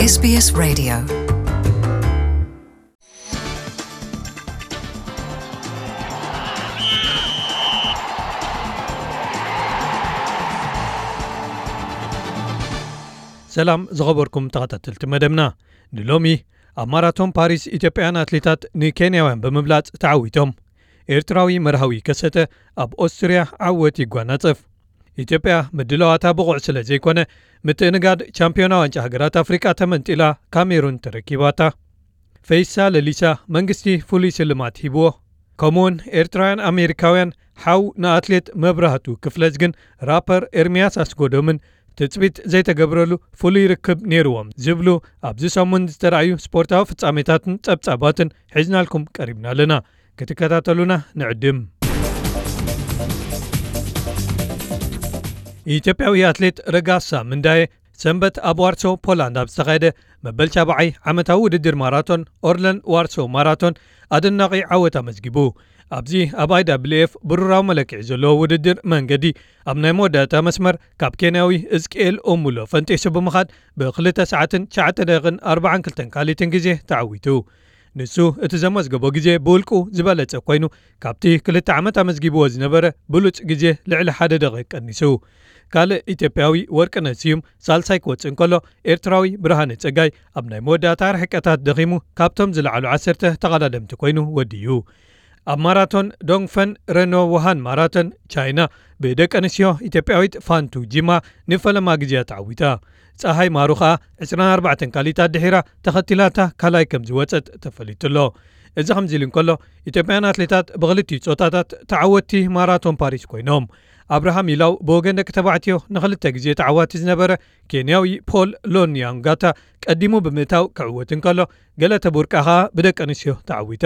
S B S Radio. ሰላም ዝኸበርኩም ተኸታተልቲ መደብና። ንሎሚ ኣብ ማራቶን ፓሪስ ኢትዮጵያውያን ኣትሌታት ንኬንያውያን ብምብላጽ ተዓዊቶም። ኤርትራዊ መርሃዊ ከሰተ ኣብ ኦስትርያ ዓወት ይጓናጸፍ። ኢትዮጵያ ምድላዋታ ብቑዕ ስለ ዘይኮነ፣ ምትእንጋድ ቻምፒዮና ዋንጫ ሃገራት ኣፍሪቃ ተመንጢላ ካሜሩን ተረኪባታ። ፈይሳ ለሊሳ መንግስቲ ፍሉይ ስልማት ሂብዎ። ከምኡውን ኤርትራውያን ኣሜሪካውያን ሓው ንኣትሌት መብራህቱ ክፍለዝ ግን ራፐር ኤርሚያስ ኣስጎዶምን ትጽቢት ዘይተገብረሉ ፍሉይ ርክብ ነይርዎም ዝብሉ ኣብዚ ሰሙን ዝተራእዩ ስፖርታዊ ፍጻሜታትን ጸብጻባትን ሒዝናልኩም ቀሪብና ኣለና። ክትከታተሉና ንዕድም። ኢትዮጵያዊ ኣትሌት ረጋሳ ምንዳየ ሰንበት ኣብ ዋርሶ ፖላንድ ኣብ ዝተኻየደ መበል ሻብዓይ ዓመታዊ ውድድር ማራቶን ኦርለንድ ዋርሶ ማራቶን ኣደናቒ ዓወት ኣመዝጊቡ። ኣብዚ ኣብ I W F ብሩራዊ መለክዒ ዘለዎ ውድድር መንገዲ ኣብ ናይ መወዳእታ መስመር ካብ ኬንያዊ እዝቅኤል ኦሙሎ ፈንጢሱ ብምኻድ ብክልተ ሰዓትን ትሽዓተ ደቂቕን ኣርባዓን ክልተን ካልኢትን ግዜ ተዓዊቱ። ንሱ እቲ ዘመዝገቦ ግዜ ብውልቁ ዝበለጸ ኮይኑ፣ ካብቲ ክልተ ዓመት ኣመዝጊብዎ ዝነበረ ብሉጽ ግዜ ልዕሊ ሓደ ደቂቕ ቀኒሱ። ካልእ ኢትዮጵያዊ ወርቅነህ ስዩም ሳልሳይ ክወጽእ እንከሎ፣ ኤርትራዊ ብርሃነ ጸጋይ ኣብ ናይ መወዳእታ ርሕቀታት ደኺሙ ካብቶም ዝለዓሉ ዓሰርተ ተቐዳደምቲ ኮይኑ ወዲዩ። ኣብ ማራቶን ዶንግፈን ረኖ ውሃን ማራቶን ቻይና ብደቂ ኣንስትዮ ኢትዮጵያዊት ፋንቱ ጂማ ንፈለማ ግዜያ ተዓዊታ። ጸሃይ ማሩ ኸኣ ዕስራን ኣርባዕተን ካልኢታት ድሒራ ተኸቲላታ ካልኣይ ከም ዝወጸት ተፈሊጡ ኣሎ። እዚ ከምዚ ኢሉ እንከሎ፣ ኢትዮጵያን ኣትሌታት ብኽልቲኡ ጾታታት ተዓወትቲ ማራቶን ፓሪስ ኮይኖም። ኣብርሃም ኢላው ብወገን ደቂ ተባዕትዮ ንኽልተ ግዜ ተዓዋቲ ዝነበረ ኬንያዊ ፖል ሎንያንጋታ ቀዲሙ ብምእታው ክዕወት እንከሎ፣ ገለተ ቡርቃ ኸኣ ብደቂ ኣንስትዮ ተዓዊታ።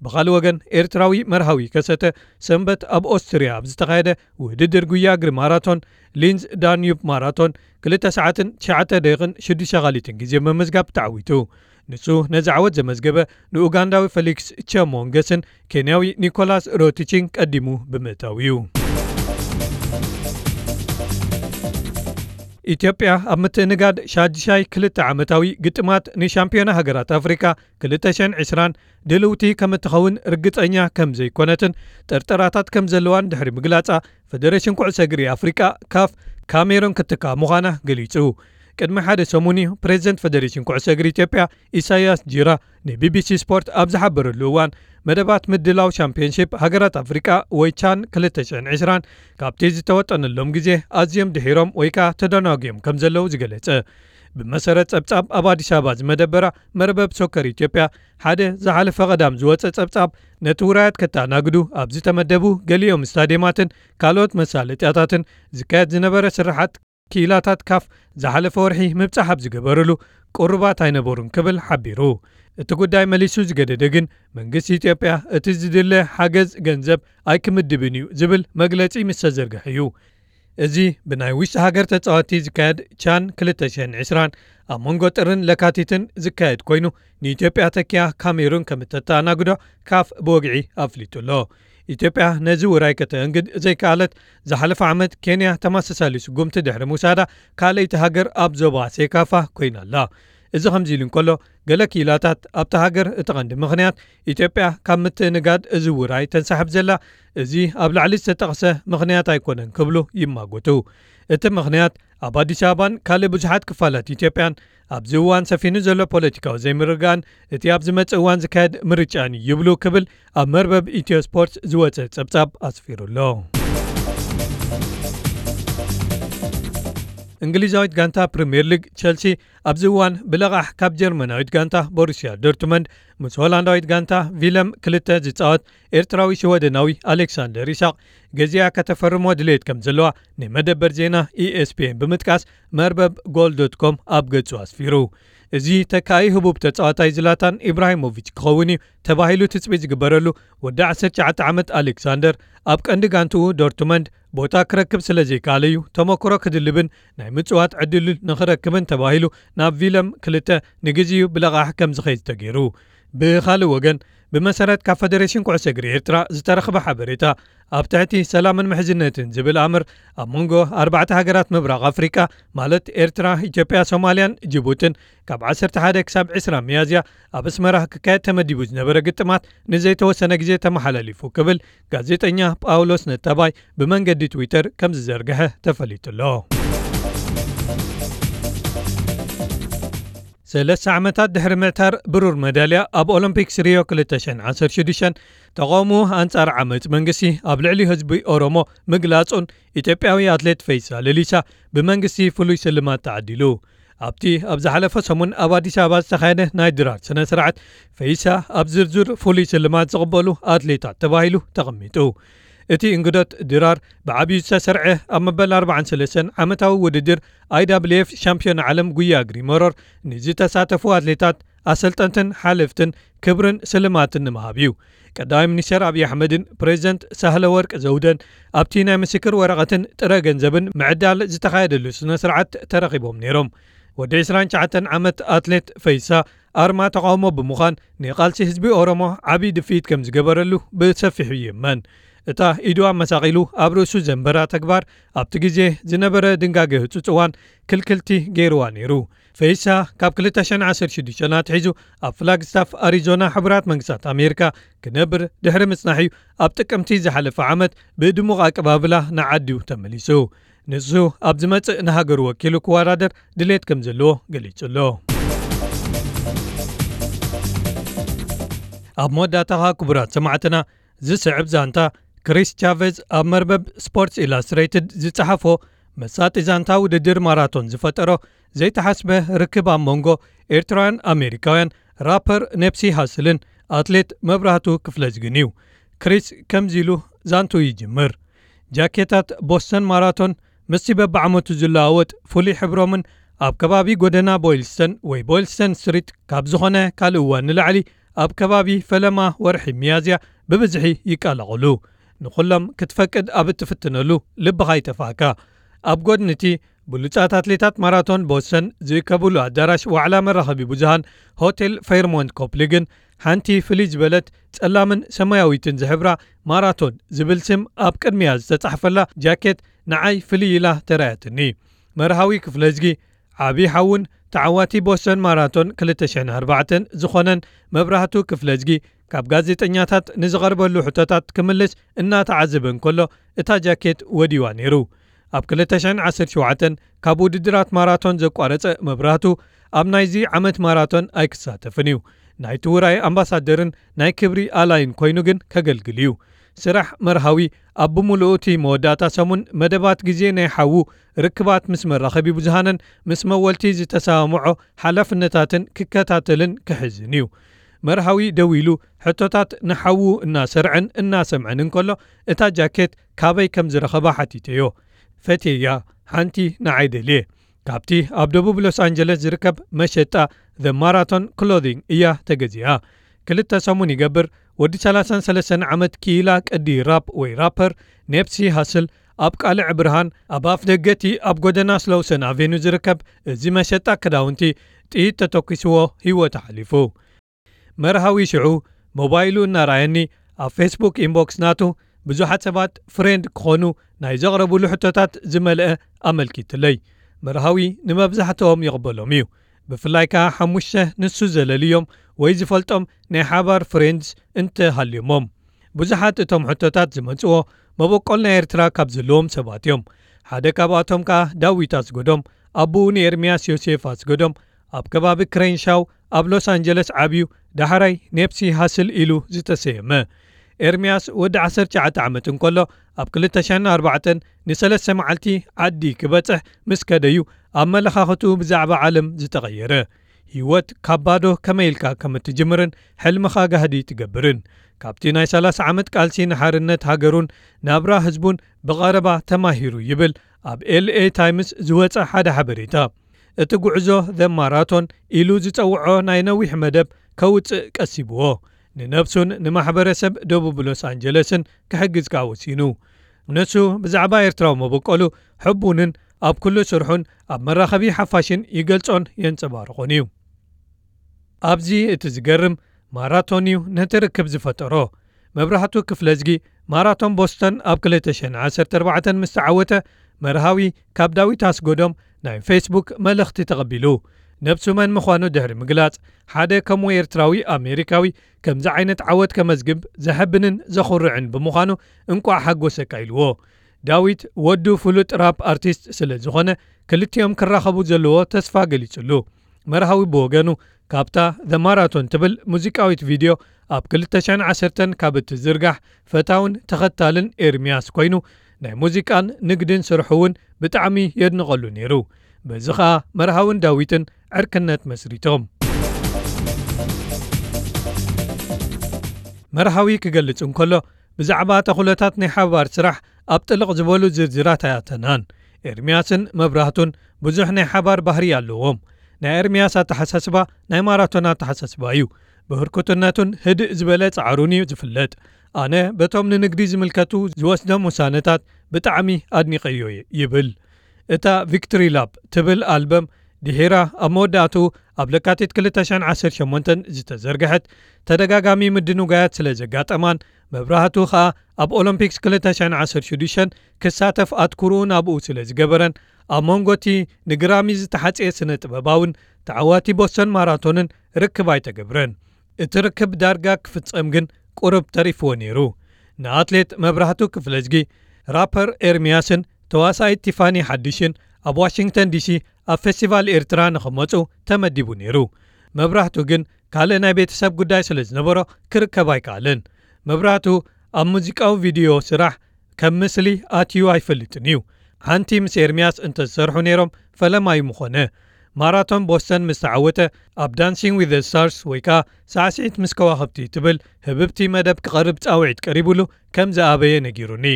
ብኻልእ ወገን፣ ኤርትራዊ መርሃዊ ከሰተ ሰንበት ኣብ ኦስትርያ ኣብ ዝተኻየደ ውድድር ጉያ እግሪ ማራቶን፣ ሊንዝ ዳንዩብ ማራቶን፣ ክልተ ሰዓትን ትሽዓተ ደቂቕን ሽዱሽተ ካልኢትን ግዜ ብምምዝጋብ ተዓዊቱ። ንሱ ነዚ ዓወት ዘመዝገበ ንኡጋንዳዊ ፈሊክስ ቸሞንገስን ኬንያዊ ኒኮላስ ሮቲችን ቀዲሙ ብምእታው እዩ። ኢትዮጵያ ኣብ ምትእንጋድ ሻድሻይ ክልተ ዓመታዊ ግጥማት ንሻምፒዮና ሃገራት ኣፍሪካ ክልተ ሽሕን ዕስራን ድልውቲ ከም እትኸውን ርግጸኛ ከም ዘይኮነትን ጥርጠራታት ከም ዘለዋን ድሕሪ ምግላጻ፣ ፈደሬሽን ኩዕሶ እግሪ ኣፍሪቃ፣ ካፍ፣ ካሜሩን ክትከኣ ምዃና ገሊጹ። ቅድሚ ሓደ ሰሙን እዩ ፕሬዚደንት ፈደሬሽን ኩዕሶ እግሪ ኢትዮጵያ ኢሳያስ ጂራ ንቢቢሲ ስፖርት ኣብ ዝሓበረሉ እዋን፣ መደባት ምድላው ሻምፒዮንሺፕ ሃገራት ኣፍሪቃ ወይ ቻን ክልተ ሽሕን ዕስራን ካብቲ ዝተወጠነሎም ግዜ ኣዝዮም ድሒሮም ወይ ከኣ ተደናጒዮም ከም ዘለዉ ዝገለጸ። ብመሰረት ጸብጻብ ኣብ ኣዲስ ኣበባ ዝመደበራ መርበብ ሶከር ኢትዮጵያ፣ ሓደ ዝሓለፈ ቀዳም ዝወጸ ጸብጻብ፣ ነቲ ውራያት ከተኣናግዱ ኣብ ዝተመደቡ ገሊኦም ስታድየማትን ካልኦት መሳለጥያታትን ዝካየድ ዝነበረ ስርሓት ክኢላታት ካፍ ዝሓለፈ ወርሒ ምብጻሕ ኣብ ዝገበረሉ ቅሩባት ኣይነበሩን ክብል ሓቢሩ። እቲ ጉዳይ መሊሱ ዝገደደ ግን መንግስቲ ኢትዮጵያ እቲ ዝድለ ሓገዝ ገንዘብ ኣይክምድብን እዩ ዝብል መግለጺ ምስ ተዘርግሐ እዩ። እዚ ብናይ ውሽጢ ሃገር ተጻወትቲ ዝካየድ ቻን ክልተ ሽሕን ዕስራን ኣብ መንጎ ጥርን ለካቲትን ዝካየድ ኮይኑ፣ ንኢትዮጵያ ተኪያ ካሜሩን ከም እተተኣናግዶ ካፍ ብወግዒ ኣፍሊጡ ኣሎ። ኢትዮጵያ ነዚ ውራይ ከተእንግድ ዘይከኣለት፣ ዝሓለፈ ዓመት ኬንያ ተመሳሳሊ ስጉምቲ ድሕሪ ምውሳዳ ካልኣይቲ ሃገር ኣብ ዞባ ሴካፋ ኮይና ኣላ። እዚ ከምዚ ኢሉ እንከሎ፣ ገለ ክኢላታት ኣብታ ሃገር እቲ ቀንዲ ምኽንያት ኢትዮጵያ ካብ ምትእንጋድ እዚ ውራይ ተንሳሕብ ዘላ፣ እዚ ኣብ ላዕሊ ዝተጠቕሰ ምኽንያት ኣይኮነን ክብሉ ይማጎቱ። እቲ ምኽንያት ኣብ ኣዲስ ኣበባን ካልእ ብዙሓት ክፋላት ኢትዮጵያን ኣብዚ እዋን ሰፊኑ ዘሎ ፖለቲካዊ ዘይምርግጋእን እቲ ኣብ ዝመጽእ እዋን ዝካየድ ምርጫን እዩ ይብሉ ክብል ኣብ መርበብ ኢትዮ ስፖርት ዝወጸ ጸብጻብ ኣስፊሩ ኣሎ። እንግሊዛዊት ጋንታ ፕሪምየር ሊግ ቸልሲ ኣብዚ እዋን ብለቓሕ ካብ ጀርመናዊት ጋንታ ቦሩስያ ዶርትመንድ ምስ ሆላንዳዊት ጋንታ ቪለም ክልተ ዝጻወት ኤርትራዊ ሽወደናዊ ኣሌክሳንደር ይስሐቅ ገዚኣ ከተፈርሞ ድሌት ከም ዘለዋ ንመደበር ዜና E S P N ብምጥቃስ መርበብ ጎል ዶት ኮም ኣብ ገጹ ኣስፊሩ። እዚ ተካኢ ህቡብ ተጻዋታይ ዝላታን ኢብራሂሞቪች ክኸውን እዩ ተባሂሉ ትጽቢት ዝግበረሉ ወዲ ዓሰርተ ትሽዓተ ዓመት ኣሌክሳንደር ኣብ ቀንዲ ጋንትኡ ዶርትመንድ ቦታ ክረክብ ስለ ዘይከኣለ እዩ ተመክሮ ክድልብን ናይ ምጽዋት ዕድል ንኽረክብን ተባሂሉ ናብ ቪለም ክልተ ንግዜኡ ብለቓሕ ከም ዝኸይድ ተገይሩ። ብኻልእ ወገን ብመሰረት ካብ ፈደሬሽን ኩዕሶ እግሪ ኤርትራ ዝተረኽበ ሓበሬታ፣ ኣብ ትሕቲ ሰላምን ምሕዝነትን ዝብል ኣምር ኣብ መንጎ ኣርባዕተ ሃገራት ምብራቕ ኣፍሪቃ፣ ማለት ኤርትራ፣ ኢትዮጵያ፣ ሶማልያን ጅቡትን፣ ካብ ዓሰርተ ሓደ ክሳብ ዕስራ ሚያዝያ ኣብ ኣስመራ ክካየድ ተመዲቡ ዝነበረ ግጥማት ንዘይተወሰነ ግዜ ተመሓላሊፉ ክብል ጋዜጠኛ ጳውሎስ ነታባይ ብመንገዲ ትዊተር ከም ዝዘርግሐ ተፈሊጡ ኣሎ። ሰለስተ ዓመታት ድሕሪ ምዕታር ብሩር መዳልያ ኣብ ኦሎምፒክስ ሪዮ ክልተ ሽሕን ዓሰርተ ሽዱሽተን፣ ተቓውሞ ኣንጻር ዓመጽ መንግስቲ ኣብ ልዕሊ ህዝቢ ኦሮሞ ምግላጹን ኢትዮጵያዊ ኣትሌት ፈይሳ ለሊሳ ብመንግስቲ ፍሉይ ስልማት ተዓዲሉ። ኣብቲ ኣብ ዝሓለፈ ሰሙን ኣብ ኣዲስ ኣበባ ዝተኻየደ ናይ ድራር ስነ ስርዓት፣ ፈይሳ ኣብ ዝርዝር ፍሉይ ስልማት ዝቕበሉ ኣትሌታት ተባሂሉ ተቐሚጡ። እቲ እንግዶት ድራር ብዓብዩ ዝተሰርዐ፣ ኣብ መበል ኣርባዓን ሰለስተን ዓመታዊ ውድድር ኣይ ዳብልዩ ኤፍ ሻምፒዮን ዓለም ጉያ እግሪ መሮር ንዝተሳተፉ ኣትሌታት፣ ኣሰልጠንትን ሓለፍትን ክብርን ስልማትን ንምሃብ እዩ። ቀዳማይ ሚኒስትር ኣብይ ኣሕመድን ፕሬዚደንት ሳህለ ወርቅ ዘውደን ኣብቲ ናይ ምስክር ወረቐትን ጥረ ገንዘብን ምዕዳል ዝተኻየደሉ ስነ ስርዓት ተረኺቦም ነይሮም። ወዲ ዕስራን ትሽዓተን ዓመት ኣትሌት ፈይሳ ኣርማ ተቓውሞ ብምዃን፣ ንቓልሲ ህዝቢ ኦሮሞ ዓብዪ ድፍኢት ከም ዝገበረሉ ብሰፊሑ ይእመን። እታ ኢዱ ኣመሳቒሉ ኣብ ርእሱ ዘንበራ ተግባር፣ ኣብቲ ግዜ ዝነበረ ድንጋገ ህጹጽ እዋን ክልክልቲ ገይርዋ ነይሩ። ፈይሳ ካብ ክልተ ሽሕን ዓሰርተ ሽዱሽተን ኣትሒዙ ኣብ ፍላግስታፍ ኣሪዞና ሕቡራት መንግስታት ኣሜሪካ ክነብር ድሕሪ ምጽናሕ እዩ ኣብ ጥቅምቲ ዝሓለፈ ዓመት ብድሙቕ ኣቀባብላ ንዓዱ ተመሊሱ። ንሱ ኣብ ዝመጽእ ንሃገሩ ወኪሉ ክወዳደር ድሌት ከም ዘለዎ ገሊጹ ኣሎ። ኣብ መወዳእታኻ ክቡራት ሰማዕትና፣ ዝስዕብ ዛንታ፣ ክሪስ ቻቨዝ ኣብ መርበብ ስፖርትስ ኢላስትሬትድ ዝጸሓፎ መሳጢ ዛንታ ውድድር ማራቶን ዝፈጠሮ ዘይተሓስበ ርክብ ኣብ መንጎ ኤርትራውያን ኣሜሪካውያን ራፐር ኔፕሲ ሃስልን ኣትሌት መብራህቱ ክፍለዝግን እዩ። ክሪስ ከምዚ ኢሉ ዛንቱ ይጅምር። ጃኬታት ቦስተን ማራቶን ምስቲ በብዓመቱ ዝለዋወጥ ፍሉይ ሕብሮምን ኣብ ከባቢ ጎደና ቦይልስተን ወይ ቦይልስተን ስትሪት ካብ ዝኾነ ካልእ እዋን ንላዕሊ ኣብ ከባቢ ፈለማ ወርሒ ሚያዝያ ብብዝሒ ይቀላቐሉ። ንኹሎም ክትፈቅድ ኣብ እትፍትነሉ ልብኻ ይጠፍኣካ። ኣብ ጎድኒ እቲ ብሉጻት ኣትሌታት ማራቶን ቦስተን ዝእከብሉ ኣዳራሽ ዋዕላ መራኸቢ ብዙሃን ሆቴል ፌርሞንት ኮፕሊግን ሓንቲ ፍልይ ዝበለት ጸላምን ሰማያዊትን ዝሕብራ ማራቶን ዝብል ስም ኣብ ቅድሚያ ዝተጻሕፈላ ጃኬት ንዓይ ፍልይ ኢላ ተራእያትኒ። መርሃዊ ክፍለዝጊ ዓቢ ሓውን ተዓዋቲ ቦስተን ማራቶን ክልተ ሽሕን ኣርባዕተን ዝኾነን መብራህቱ ክፍለዝጊ ካብ ጋዜጠኛታት ንዝቐርበሉ ሕቶታት ክምልስ እናተዓዘበ እንከሎ እታ ጃኬት ወዲዋ ነይሩ። ኣብ ክልተ ሽሕን ዓሰርተ ሸውዓተን ካብ ውድድራት ማራቶን ዘቋረጸ መብራህቱ ኣብ ናይዚ ዓመት ማራቶን ኣይክሳተፍን እዩ። ናይቲ ውራይ ኣምባሳደርን ናይ ክብሪ ኣላይን ኮይኑ ግን ከገልግል እዩ። ስራሕ መርሃዊ ኣብ ብምሉኡ እቲ መወዳእታ ሰሙን መደባት ግዜ ናይ ሓዉ ርክባት ምስ መራኸቢ ብዙሃንን ምስ መወልቲ ዝተሰማምዖ ሓላፍነታትን ክከታተልን ክሕዝን እዩ። መርሃዊ ደው ኢሉ ሕቶታት ንሓዉ እናሰርዐን እናሰምዐን እንከሎ እታ ጃኬት ካበይ ከም ዝረኸባ ሓቲተዮ። ፈትየያ፣ ሓንቲ ንዓይ ደልየ። ካብቲ ኣብ ደቡብ ሎስ ኣንጀለስ ዝርከብ መሸጣ The Marathon Clothing እያ ተገዚኣ። ክልተ ሰሙን ይገብር፣ ወዲ ሰላሳን ሰለስተን ዓመት ክኢላ ቅዲ ራፕ ወይ ራፐር ኔፕሲ ሃስል ኣብ ቃልዕ ብርሃን ኣብ ኣፍ ደገ እቲ ኣብ ጎደና ስሎውሰን ኣቬኑ ዝርከብ እዚ መሸጣ ክዳውንቲ ጥይት ተተኲስዎ ህይወቱ ሓሊፉ። መርሃዊ ሽዑ ሞባይሉ እናረኣየኒ ኣብ ፌስቡክ ኢንቦክስ ናቱ ብዙሓት ሰባት ፍሬንድ ክኾኑ ናይ ዘቕረቡሉ ሕቶታት ዝመልአ ኣመልኪትለይ። መርሃዊ ንመብዛሕትኦም ይቕበሎም እዩ። ብፍላይ ከኣ ሓሙሽተ ንሱ ዘለልዮም ወይ ዝፈልጦም ናይ ሓባር ፍሬንድስ እንተሃልዮሞም። ብዙሓት እቶም ሕቶታት ዝመጽዎ መበቆል ናይ ኤርትራ ካብ ዘለዎም ሰባት እዮም። ሓደ ካብኣቶም ከኣ ዳዊት ኣስገዶም፣ ኣቦኡ ንኤርምያስ ዮሴፍ ኣስገዶም፣ ኣብ ከባቢ ክሬንሻው ኣብ ሎስ ኣንጀለስ ዓብዩ፣ ዳሕራይ ኔፕሲ ሃስል ኢሉ ዝተሰየመ። ኤርምያስ ወዲ ዓሰርተ ትሽዓተ ዓመት እንከሎ ኣብ ክልተ ሽሕን ኣርባዕተን ንሰለስተ መዓልቲ ዓዲ ክበጽሕ ምስ ከደዩ ኣመለኻኽትኡ ብዛዕባ ዓለም ዝተቐየረ። ህይወት ካብ ባዶ ከመይ ኢልካ ከም እትጅምርን ሕልምኻ ጋህዲ ትገብርን። ካብቲ ናይ ሰላሳ ዓመት ቃልሲ ንሓርነት ሃገሩን ናብራ ህዝቡን ብቐረባ ተማሂሩ ይብል ኣብ ኤል ኤ ታይምስ ዝወጸ ሓደ ሓበሬታ። እቲ ጉዕዞ ዘ ማራቶን ኢሉ ዝጸውዖ ናይ ነዊሕ መደብ ከውጽእ ቀሲብዎ። ንነብሱን ንማሕበረሰብ ደቡብ ሎስ ኣንጀለስን ክሕግዝ ከኣ ወሲኑ። ንሱ ብዛዕባ ኤርትራዊ መበቆሉ ሕቡንን ኣብ ኩሉ ስርሑን ኣብ መራኸቢ ሓፋሽን ይገልጾን የንጸባርቖን እዩ። ኣብዚ እቲ ዝገርም ማራቶን እዩ ነቲ ርክብ ዝፈጠሮ። መብራህቱ ክፍለዝጊ ማራቶን ቦስተን ኣብ ክልተ ሽሕን ዓሰርተ ኣርባዕተን ምስ ተዓወተ፣ መርሃዊ ካብ ዳዊት ኣስጎዶም ናይ ፌስቡክ መልእኽቲ ተቐቢሉ። ነብሱ መን ምዃኑ ድሕሪ ምግላጽ፣ ሓደ ከምኡ ኤርትራዊ ኣሜሪካዊ ከምዚ ዓይነት ዓወት ከመዝግብ ዘሐብንን ዘኹርዕን ብምዃኑ እንቋዕ ሓጎሰካ ኢልዎ። ዳዊት ወዱ ፍሉጥ ራፕ ኣርቲስት ስለ ዝኾነ፣ ክልቲኦም ክራኸቡ ዘለዎ ተስፋ ገሊጹሉ። መርሃዊ ብወገኑ፣ ካብታ ዘ ማራቶን ትብል ሙዚቃዊት ቪድዮ ኣብ ክልተ ሽሕን ዓሰርተን ካብ እትዝርጋሕ ፈታውን ተኸታልን ኤርምያስ ኮይኑ፣ ናይ ሙዚቃን ንግድን ስርሑ እውን ብጣዕሚ የድንቐሉ ነይሩ። በዚ ኸኣ መርሃውን ዳዊትን ዕርክነት መስሪቶም። መርሃዊ ክገልጽ እንከሎ፣ ብዛዕባ ተኹለታት ናይ ሓባር ስራሕ ኣብ ጥልቕ ዝበሉ ዝርዝራት ኣያተናን። ኤርምያስን መብራህቱን ብዙሕ ናይ ሓባር ባህሪ ኣለዎም። ናይ ኤርምያስ ኣተሓሳስባ ናይ ማራቶን ኣተሓሳስባ እዩ። ብህርኩትነቱን ህድእ ዝበለ ጻዕሩን እዩ ዝፍለጥ። ኣነ በቶም ንንግዲ ዝምልከቱ ዝወስዶም ውሳነታት ብጣዕሚ ኣድኒቐዮ እየ ይብል። እታ ቪክቶሪ ላፕ ትብል ኣልበም ድሒራ ኣብ መወዳእትኡ ኣብ ለካቲት ክልተ ሽሕን ዓሰርተ ሸሞንተን ዝተዘርግሐት፣ ተደጋጋሚ ምድንጓያት ስለ ዘጋጠማን መብራህቱ ኸኣ ኣብ ኦሎምፒክስ ክልተ ሽሕን ዓሰርተ ሽዱሽተን ክሳተፍ ኣትኩርኡ ናብኡ ስለ ዝገበረን፣ ኣብ መንጎ እቲ ንግራሚ ዝተሓጽየ ስነ ጥበባውን ተዓዋቲ ቦስተን ማራቶንን ርክብ ኣይተገብረን። እቲ ርክብ ዳርጋ ክፍጸም ግን ቁሩብ ተሪፍዎ ነይሩ። ንኣትሌት መብራህቱ ክፍለዝጊ፣ ራፐር ኤርምያስን ተዋሳኢት ቲፋኒ ሓድሽን ኣብ ዋሽንግተን ዲሲ ኣብ ፌስቲቫል ኤርትራ ንኽመጹ ተመዲቡ ነይሩ። መብራህቱ ግን ካልእ ናይ ቤተሰብ ጉዳይ ስለ ዝነበሮ ክርከብ ኣይከኣለን። መብራህቱ ኣብ ሙዚቃዊ ቪድዮ ስራሕ ከም ምስሊ ኣትዩ ኣይፈልጥን እዩ። ሓንቲ ምስ ኤርምያስ እንተዝሰርሑ ነይሮም ፈለማ እዩ ምኾነ። ማራቶን ቦስተን ምስ ተዓወተ ኣብ ዳንሲንግ ዊዝ ዘ ስታርስ ወይ ከኣ ሳዕስዒት ምስ ከዋኽብቲ ትብል ህብብቲ መደብ ክቐርብ ጻውዒት ቀሪቡሉ ከም ዝኣበየ ነጊሩኒ።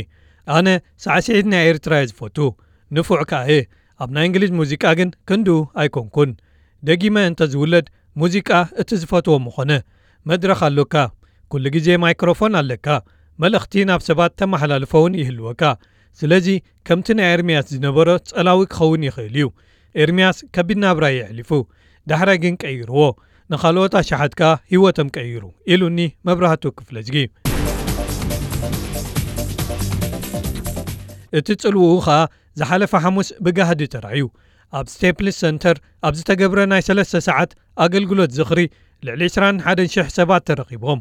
ኣነ ሳዕስዒት ናይ ኤርትራ እየ ዝፈቱ፣ ንፉዕ ከኣ እየ። ኣብ ናይ እንግሊዝ ሙዚቃ ግን ክንድኡ ኣይኮንኩን። ደጊመ እንተዝውለድ ሙዚቃ እቲ ዝፈትዎ ምኾነ። መድረኽ ኣሎካ፣ ኩሉ ግዜ ማይክሮፎን ኣለካ፣ መልእኽቲ ናብ ሰባት ተመሓላልፎ እውን ይህልወካ። ስለዚ ከምቲ ናይ ኤርምያስ ዝነበሮ ጸላዊ ክኸውን ይኽእል እዩ። ኤርምያስ ከቢድ ናብራ እዩ የሕሊፉ። ዳሕራይ ግን ቀይርዎ። ንኻልኦት ኣሽሓት ከኣ ህይወቶም ቀይሩ፣ ኢሉኒ መብራህቱ ክፍለዝጊ። እቲ ጽልውኡ ኸኣ ዝሓለፈ ሓሙስ ብጋህዲ ተራእዩ። ኣብ ስቴፕልስ ሰንተር ኣብ ዝተገብረ ናይ ሰለስተ ሰዓት ኣገልግሎት ዝኽሪ ልዕሊ ዕስራን ሓደን ሽሕ ሰባት ተረኺቦም።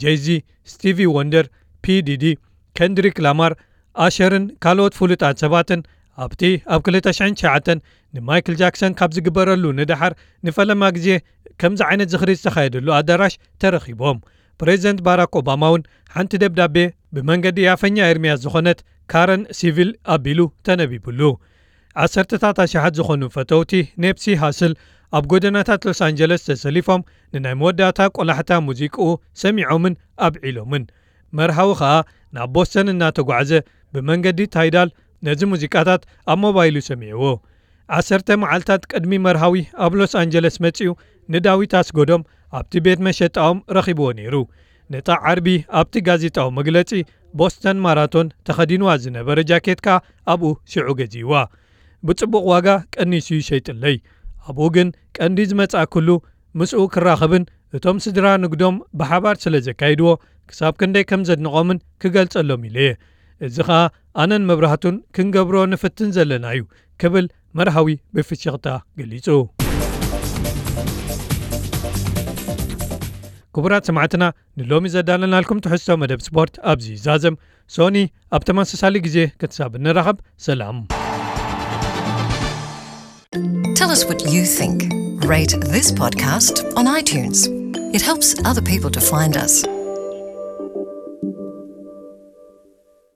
ጄይዚ፣ ስቲቪ ወንደር፣ ፒ ዲዲ፣ ከንድሪክ ላማር፣ ኣሸርን ካልኦት ፍሉጣት ሰባትን ኣብቲ ኣብ ክልተ ሽሕን ትሽዓተን ንማይክል ጃክሰን ካብ ዝግበረሉ ንደሓር ንፈለማ ግዜ ከምዚ ዓይነት ዝኽሪ ዝተኻየደሉ ኣዳራሽ ተረኺቦም። ፕሬዚደንት ባራክ ኦባማ እውን ሓንቲ ደብዳቤ ብመንገዲ ኣፈኛ ኤርምያስ ዝኾነት ካረን ሲቪል ኣቢሉ ተነቢቡሉ። ዓሰርተታት ኣሽሓት ዝኾኑ ፈተውቲ ኔፕሲ ሃስል ኣብ ጎደናታት ሎስ ኣንጀለስ ተሰሊፎም ንናይ መወዳእታ ቆላሕታ ሙዚቅኡ ሰሚዖምን ኣብዒሎምን። መርሃዊ ኸኣ ናብ ቦስተን እናተጓዕዘ ብመንገዲ ታይዳል ነዚ ሙዚቃታት ኣብ ሞባይሉ ሰሚዕዎ። ዓሰርተ መዓልታት ቅድሚ መርሃዊ ኣብ ሎስ ኣንጀለስ መጺኡ ንዳዊት ኣስጎዶም ኣብቲ ቤት መሸጣኦም ረኺብዎ ነይሩ። ነታ ዓርቢ ኣብቲ ጋዜጣዊ መግለጺ ቦስተን ማራቶን ተኸዲንዋ ዝነበረ ጃኬት ከኣ ኣብኡ ሽዑ ገዚእዋ። ብጽቡቕ ዋጋ ቀኒሱ ይሸይጥለይ። ኣብኡ ግን ቀንዲ ዝመጻእኩሉ ምስኡ ክራኸብን እቶም ስድራ ንግዶም ብሓባር ስለ ዘካይድዎ ክሳብ ክንደይ ከም ዘድንቖምን ክገልጸሎም ኢለ እየ። እዚ ኸኣ ኣነን መብራህቱን ክንገብሮ ንፍትን ዘለና እዩ ክብል መርሃዊ ብፍሽኽታ ገሊጹ። ክቡራት ሰማዕትና፣ ንሎሚ ዘዳለናልኩም ትሕዝቶ መደብ ስፖርት ኣብዚ ይዛዘም። ሶኒ ኣብ ተመሳሳሊ ግዜ ክሳብ እንራኸብ ሰላም። Tell us what you think. Rate this podcast on iTunes. It helps other people to find us.